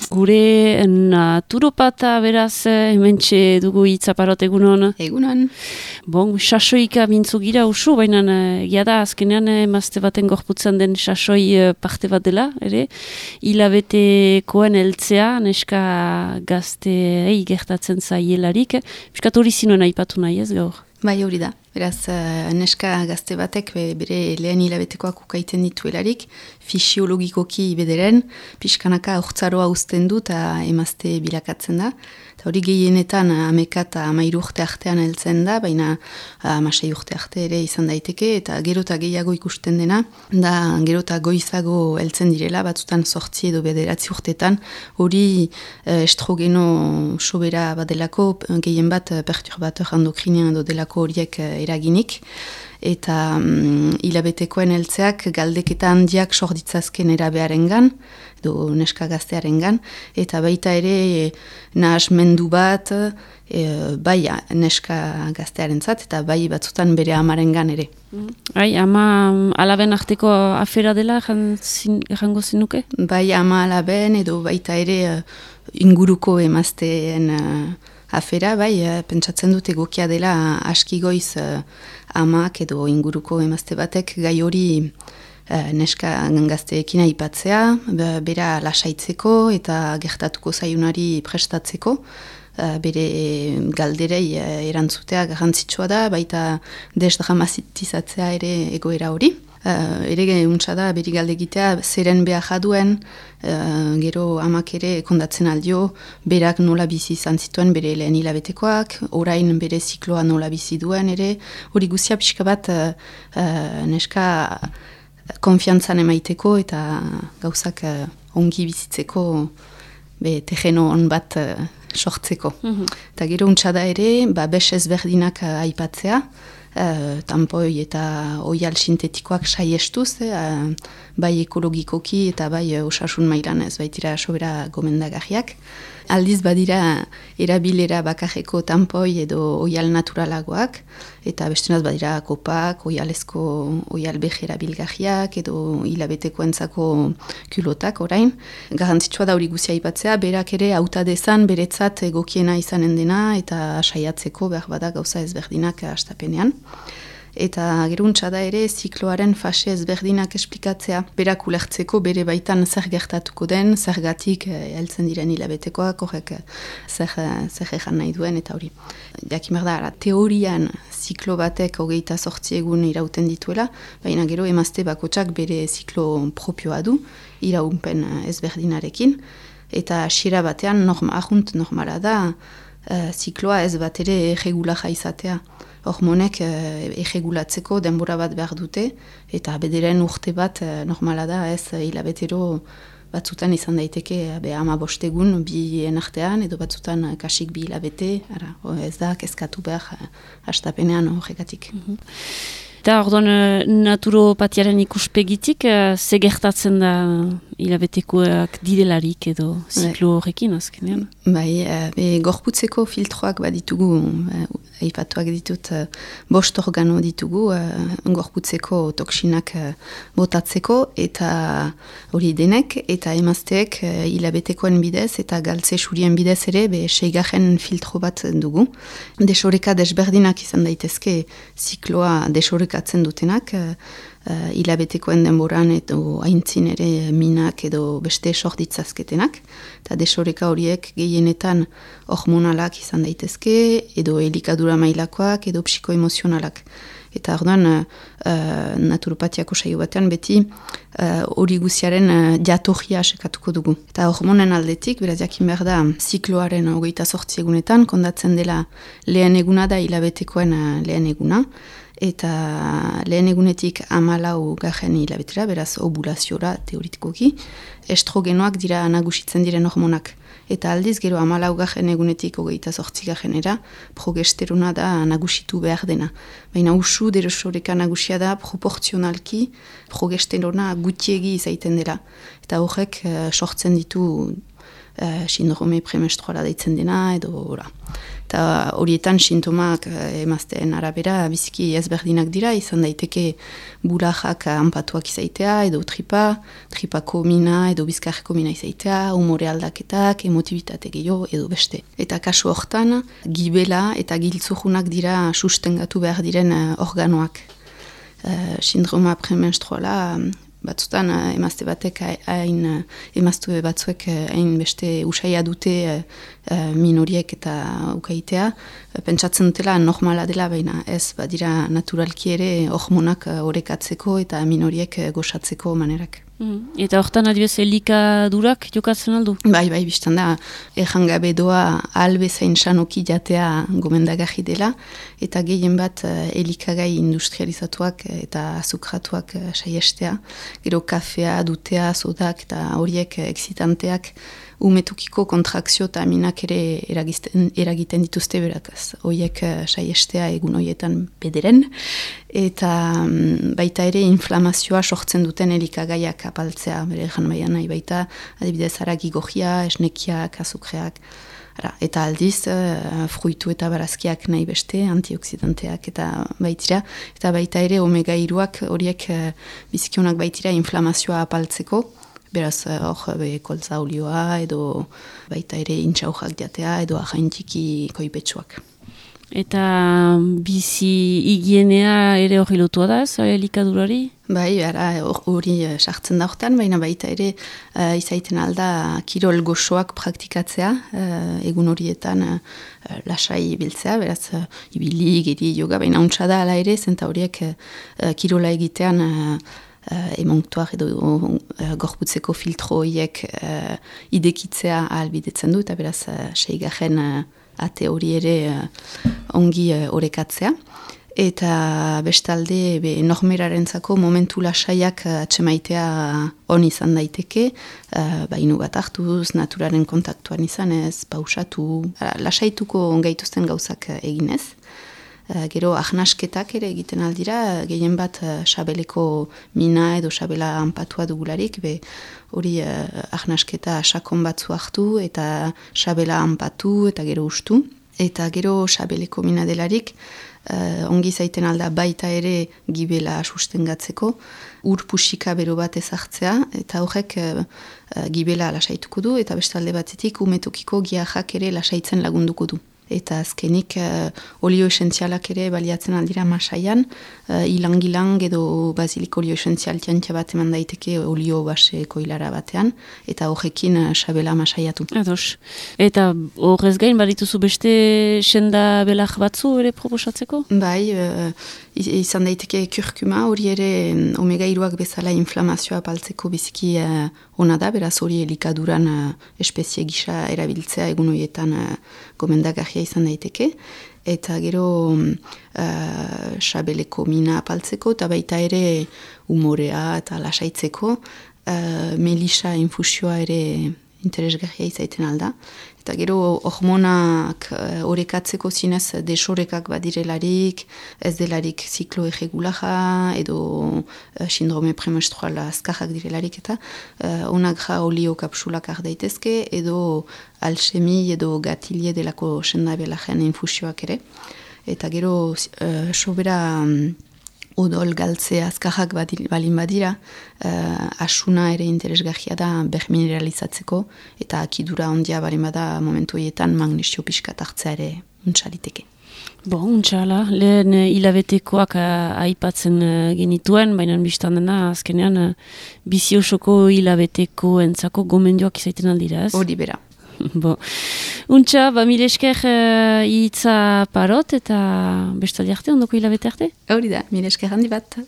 Gure naturopata beraz, hementxe dugu itzaparot egunon. Egunon. Bon, sasoika mintzu gira usu, baina egia da azkenean emazte baten gorputzan den sasoi parte bat dela, ere? Hilabetekoen heltzea, neska gazteei gertatzen zaielarik. Piskat hori zinuen aipatu nahi ez gaur? Bai, hori da. Beraz, neska gazte batek bere lehen hilabetekoak ukaiten dituelarik, fisiologikoki bederen, pixkanaka urtzaroa uzten du eta emazte bilakatzen da. Eta hori gehienetan 11 eta 13 urte artean heltzen da, baina 16 urte arte ere izan daiteke, eta gero eta gehiago ikusten dena, da gero eta goizago heltzen direla, batzutan 8 edo 9 urtetan, hori estrogeno sobera badelako, gehien bat perturbator endokrinean edo delako horiek eraginik, eta hilabetekoen heltzeak galdeketa handiak sorditzazken erabearengan, edo neska gaztearengan, eta baita ere nahasmendu bat, bai neska gaztearentzat, eta bai batzutan bere amarengan ere. Ama alaben arteko afera dela, jango zinuke? Bai ama alaben, edo baita ere inguruko emazteen afera, bai, pentsatzen dut egokia dela askigoiz amak edo inguruko emazte batek gai hori neska gazteekin aipatzea, bera lasaitzeko eta gertatuko zaionari prestatzeko, bere galderei erantzutea garrantzitsua da, baita desdramatizatzea ere egoera hori. Ere untsa da, beri galdegitea zeren behar jaduen, gero amak ere kondatzen aldio, berak nola bizi izan zituen bere lehen hilabetekoak, orain bere zikloa nola bizi duen ere, hori guzia pixka bat neska konfiantzan emaiteko eta gauzak ongi bizitzeko terreno on bat sortzeko. Eta gero untsa da ere, bes ezberdinak aipatzea, tampoi eta oial sintetikoak saiestuz, bai ekologikoki eta bai osasun mailan ez baitira sobera gomendagarriak. Aldiz badira erabilera bakarreko tampoi edo oial naturalagoak, eta bestenaz badira kopak, oialezko oial behe erabilgarriak edo hilabetekoentzako kulotak orain. Garrantzitsua da hori guzia aipatzea, berak ere hauta dezan beretzat egokiena izanen dena eta saiatzeko behar bada gauza ezberdinak hastapenean. Eta geruntza da ere zikloaren fase ezberdinak esplikatzea. Berak ulertzeko bere baitan zer gertatuko den, zergatik heltzen diren hilabetekoak, horrek zer egan nahi duen eta hori. Jakimer da, teorian ziklo batek 28 egun irauten dituela, baina gero emazte bakotsak bere ziklo propioa du, iraunpen ezberdinarekin, eta hasiera batean ahunt normala da, zikloa ez bat ere erregulaja izatea. Hormonek erregulatzeko denbora bat behar dute, eta bederen urte bat normala da, ez hilabetero batzutan izan daiteke 15 egun bi artean, edo batzutan kasik 2 hilabete, ez da kezkatu behar hastapenean horrekatik. Eta orduan naturopatiaren ikuspegitik, ze gertatzen da hilabetekoak direlarik edo ziklo horrekin azkenean? Bai, gorputzeko filtroak baditugu, aipatuak ditut, 5 organo ditugu, gorputzeko toksinak botatzeko, eta hori denek, eta emazteek hilabetekoen bidez, eta galtze surien bidez ere, 6. filtro bat dugu. Desoreka desberdinak izan daitezke zikloa desorekatzen dutenak, hilabetekoen denboran edo aintzin ere minak edo beste sorditzazketenak. Eta desoreka horiek gehienetan hormonalak izan daitezke, edo elikadura mailakoak, edo psikoemozionalak. Eta orduan naturopatiako saio batean beti hori guziaren jatorria sekatuko dugu. Eta hormonen aldetik, beraz jakin behar da, zikloaren 28 egunetan, kondatzen dela lehen eguna da hilabetekoen lehen eguna, eta lehen egunetik 14 hilabetera, beraz ovulaziora teoritikoki, estrogenoak dira nagusitzen diren hormonak. Eta aldiz gero 14 egunetik 28 progesterona da nagusitu behar dena. Baina usu desoreka nagusia da proportzionalki progesterona gutiegi izaiten dela. Eta horrek sortzen ditu sindrome premenstruala deitzen dena, edo ora. Eta horietan sintomak emazteen arabera biziki ezberdinak dira, izan daiteke burajak anpatuak izaitea, edo tripako mina, edo bizkarreko mina izaitea, umore aldaketak, emotibitate gehiago, edo beste. Eta kasu hortan, gibela eta giltzujunak dira sustengatu behar diren organoak. Sindroma premenstruala batzutan emazte batek emazte batzuek hain beste usaia dute minoriek eta ukaitea, pentsatzen dutela normala dela, baina ez badira naturalki ere hormonak orekatzeko eta minoriek gozatzeko manerak. Eta hortan adibez elikadurak jokatzen aldu? Bai, biztan da, errangabe doa albezain sanoki jatea gomendagarri dela, eta gehien bat elikagai industrializatuak eta azukratuak saiestea. Gero kafea, dutea, sodak eta horiek exitanteak umetukiko kontrakzio eta aminak ere eragiten dituzte berakaz. Horiek saiestea egun horietan bederen, eta baita ere inflamazioa sortzen duten elikagaiak apaltzea, bere egan baian nahi baita, adibidez haragi gojia, esnekiak, azukreak, eta aldiz, fruitu eta barazkiak nahi beste, antioksidanteak eta baitira, eta baita ere omega-3ak horiek bizikionak baitira inflamazioa apaltzeko, beraz hor koltza olioa edo baita ere intxaujak jatea edo ahaintiki koipetsuak. Eta bizi higienea ere hori lotua da ez, elikadurari? Bai, hori sartzen da hortan, baina baita ere izaiten alda kirol goxoak praktikatzea, egun horietan lasai biltzea, beraz ibili, geri, yoga, baina untsa da ala ere, zenta horiek kirola egitean emontuak edo gorputzeko filtro horiek idekitzea ahalbidetzen du, eta beraz seigarren ate hori ere ongi orekatzea. Eta bestalde normerarentzako momentu lasaiak atxemaitea on izan daiteke, bainu bat hartuz, naturaren kontaktuan izanez, pausatu, lasaituko ongaituzten gauzak eginez. Gero ahnasketak ere egiten aldira, gehien bat sabeleko mina edo sabela anpatua dugularik, hori ahnasketa sakon batzu hartu eta sabela anpatu eta gero ustu. Eta gero sabeleko mina delarik, ongi zaiten alda baita ere gibela sustengatzeko, urpusika bero bat ezartzea, eta horrek gibela lasaituko du, eta bestalde batetik umetokiko giajak ere lasaitzen lagunduko du. Eta azkenik olio esentzialak ere baliatzen aldira masaian, ilang edo basilik olio esentzial tiantia bat eman daiteke olio base koilara batean, eta horrekin sabela masaiatu. Ados. Eta horrez gain badituzu beste senda belak batzu ere proposatzeko? Bai, izan daiteke kurkuma, hori ere omega-3ak bezala inflamazioa apaltzeko biziki ona da, beraz hori elikaduran espezie gisa erabiltzea egun horietan gomendagarria izan daiteke, eta gero sabeleko mina apaltzeko, eta baita ere umorea eta lasaitzeko, melisa infusioa ere interesgarria izaiten alda. Eta gero hormonak orekatzeko zinez desorekak badirelarik, ez delarik ziklo irregulaja edo sindrome premenstruala azkarrak direlarik eta onak olio kapsulak daitezke edo alxemi edo gatilie delako sendabelajean infusioak ere. Eta gero sobera odol galtze azkarrak balin badira, asuna ere interesgarria da bermineralizatzeko, eta akidura ondia balin bada momentu horietan magnesio pixkat hartzea ere untxaliteke. Untxala, lehen hilabetekoak aipatzen genituen, baina biztan dena azkenean biziosoko hilabeteko entzako gomendioak izaiten aldira, ez? Hori bera. Untxa, mile esker hitza parot eta bestaldi arte, ondoko hilabete arte? Hori da, mile esker handi bat.